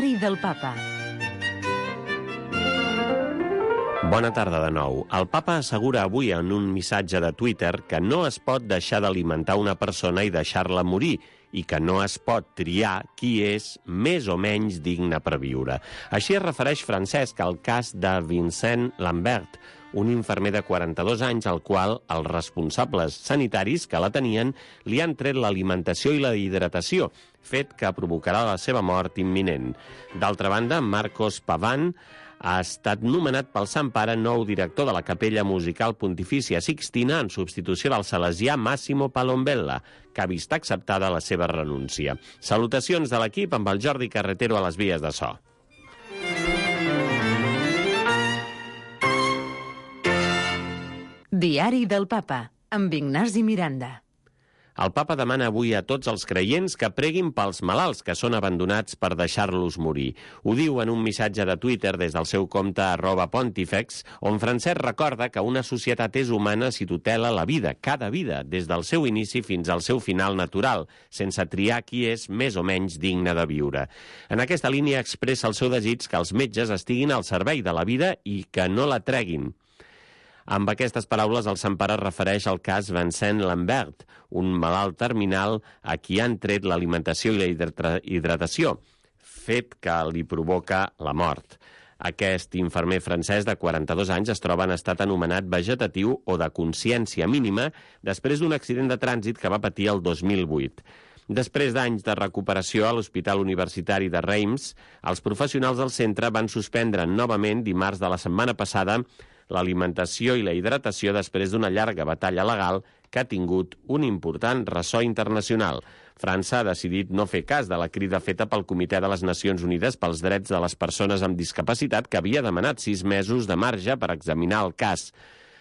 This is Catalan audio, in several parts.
Diari del Papa. Bona tarda de nou. El papa assegura avui en un missatge de Twitter que no es pot deixar d'alimentar una persona i deixar-la morir i que no es pot triar qui és més o menys digne per viure. Així es refereix Francesc al cas de Vincent Lambert, un infermer de 42 anys al qual els responsables sanitaris que la tenien li han tret l'alimentació i la hidratació, fet que provocarà la seva mort imminent. D'altra banda, Marcos Pavan ha estat nomenat pel Sant Pare nou director de la Capella Musical Pontifícia Sixtina en substitució del salesià Massimo Palombella, que ha vist acceptada la seva renúncia. Salutacions de l'equip amb el Jordi Carretero a les vies de so. Diari del Papa, amb Ignasi Miranda. El papa demana avui a tots els creients que preguin pels malalts que són abandonats per deixar-los morir. Ho diu en un missatge de Twitter des del seu compte @pontifex, on Francesc recorda que una societat és humana si tutela la vida, cada vida, des del seu inici fins al seu final natural, sense triar qui és més o menys digne de viure. En aquesta línia expressa el seu desig que els metges estiguin al servei de la vida i que no la treguin. Amb aquestes paraules, el Sant Pare refereix al cas Vincent Lambert, un malalt terminal a qui han tret l'alimentació i la hidratació, fet que li provoca la mort. Aquest infermer francès de 42 anys es troba en estat anomenat vegetatiu o de consciència mínima després d'un accident de trànsit que va patir el 2008. Després d'anys de recuperació a l'Hospital Universitari de Reims, els professionals del centre van suspendre novament dimarts de la setmana passada l'alimentació i la hidratació després d'una llarga batalla legal que ha tingut un important ressò internacional. França ha decidit no fer cas de la crida feta pel Comitè de les Nacions Unides pels Drets de les Persones amb Discapacitat, que havia demanat 6 mesos de marge per examinar el cas.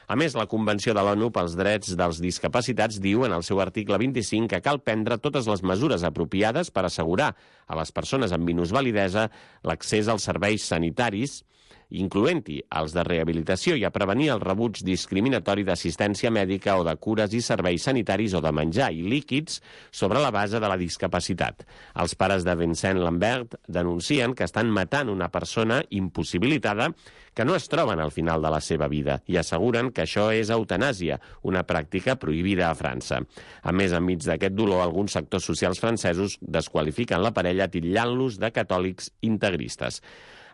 A més, la Convenció de l'ONU pels Drets dels Discapacitats diu en el seu article 25 que cal prendre totes les mesures apropiades per assegurar a les persones amb minusvalidesa l'accés als serveis sanitaris, incloent-hi els de rehabilitació, i a prevenir el rebuig discriminatori d'assistència mèdica o de cures i serveis sanitaris o de menjar i líquids sobre la base de la discapacitat. Els pares de Vincent Lambert denuncien que estan matant una persona impossibilitada que no es troben al final de la seva vida i asseguren que això és eutanàsia, una pràctica prohibida a França. A més, enmig d'aquest dolor, alguns sectors socials francesos desqualifiquen la parella titllant-los de catòlics integristes.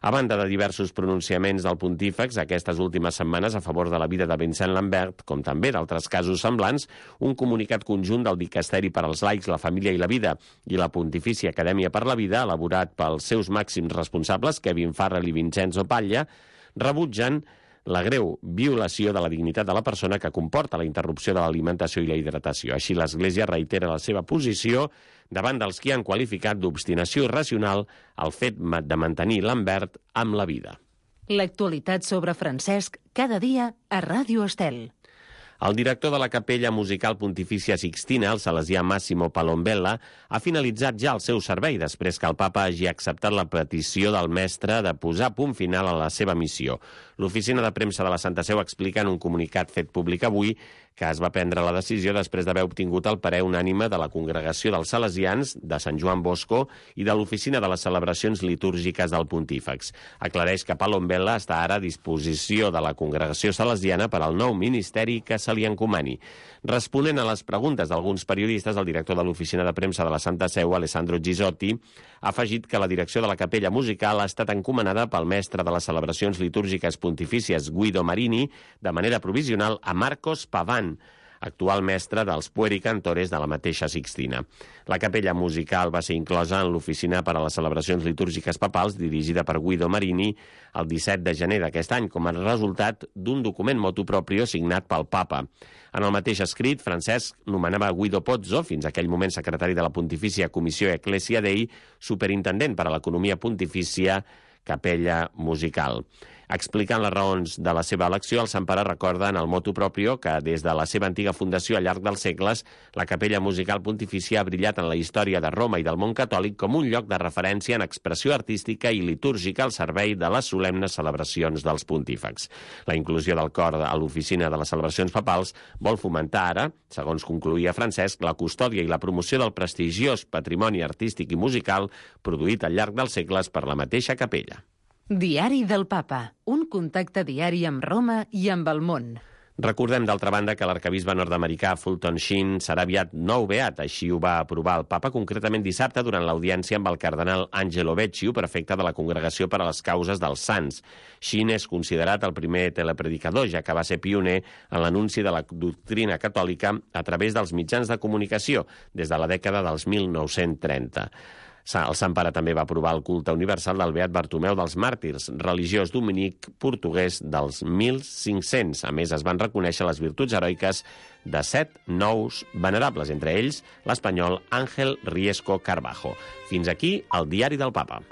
A banda de diversos pronunciaments del pontífex aquestes últimes setmanes a favor de la vida de Vincent Lambert, com també d'altres casos semblants, un comunicat conjunt del Dicasteri per als Laics, la Família i la Vida i la Pontifícia Acadèmia per la Vida, elaborat pels seus màxims responsables, Kevin Farrell i Vincenzo Paglia, rebutgen la greu violació de la dignitat de la persona que comporta la interrupció de l'alimentació i la hidratació. Així, l'Església reitera la seva posició davant dels qui han qualificat d'obstinació irracional el fet de mantenir Lambert amb la vida. L'actualitat sobre Francesc cada dia a Ràdio Estel. El director de la Capella Musical Pontifícia Sixtina, el salesià Massimo Palombella, ha finalitzat ja el seu servei després que el papa hagi acceptat la petició del mestre de posar punt final a la seva missió. L'oficina de premsa de la Santa Seu explica en un comunicat fet públic avui que es va prendre la decisió després d'haver obtingut el parer unànime de la Congregació dels Salesians, de Sant Joan Bosco i de l'Oficina de les Celebracions Litúrgiques del Pontífex. Aclareix que Palombella està ara a disposició de la Congregació Salesiana per al nou ministeri que se li encomani. Responent a les preguntes d'alguns periodistes, el director de l'Oficina de Premsa de la Santa Seu, Alessandro Gisotti, ha afegit que la direcció de la Capella Musical ha estat encomanada pel mestre de les Celebracions Litúrgiques Pontifícies, Guido Marini, de manera provisional a Marcos Pavan, actual mestre dels puericantores de la mateixa Sixtina. La capella musical va ser inclosa en l'Oficina per a les Celebracions Litúrgiques Papals, dirigida per Guido Marini, el 17 de gener d'aquest any, com a resultat d'un document motu proprio signat pel papa. En el mateix escrit, Francesc nomenava Guido Pozzo, fins aquell moment secretari de la Pontifícia Comissió Ecclesia Dei, superintendent per a l'economia pontifícia Capella Musical. Explicant les raons de la seva elecció, el Sant Pare recorda en el motu proprio que des de la seva antiga fundació al llarg dels segles, la Capella Musical Pontifícia ha brillat en la història de Roma i del món catòlic com un lloc de referència en expressió artística i litúrgica al servei de les solemnes celebracions dels pontífex. La inclusió del cor a l'oficina de les celebracions papals vol fomentar ara, segons concluïa Francesc, la custòdia i la promoció del prestigiós patrimoni artístic i musical produït al llarg dels segles per la mateixa capella. Diari del Papa, un contacte diari amb Roma i amb el món. Recordem, d'altra banda, que l'arquebisbe nord-americà Fulton Sheen serà aviat nou beat, així ho va aprovar el papa concretament dissabte durant l'audiència amb el cardenal Angelo Becciu, prefecte de la Congregació per a les Causes dels Sants. Sheen és considerat el primer telepredicador, ja que va ser pioner en l'anunci de la doctrina catòlica a través dels mitjans de comunicació des de la dècada dels 1930. El Sant Pare també va aprovar el culte universal del beat Bartomeu dels Màrtirs, religiós dominic portuguès dels 1500. A més, es van reconèixer les virtuts heroiques de 7 nous venerables, entre ells l'espanyol Ángel Riesco Carbajo. Fins aquí el Diari del Papa.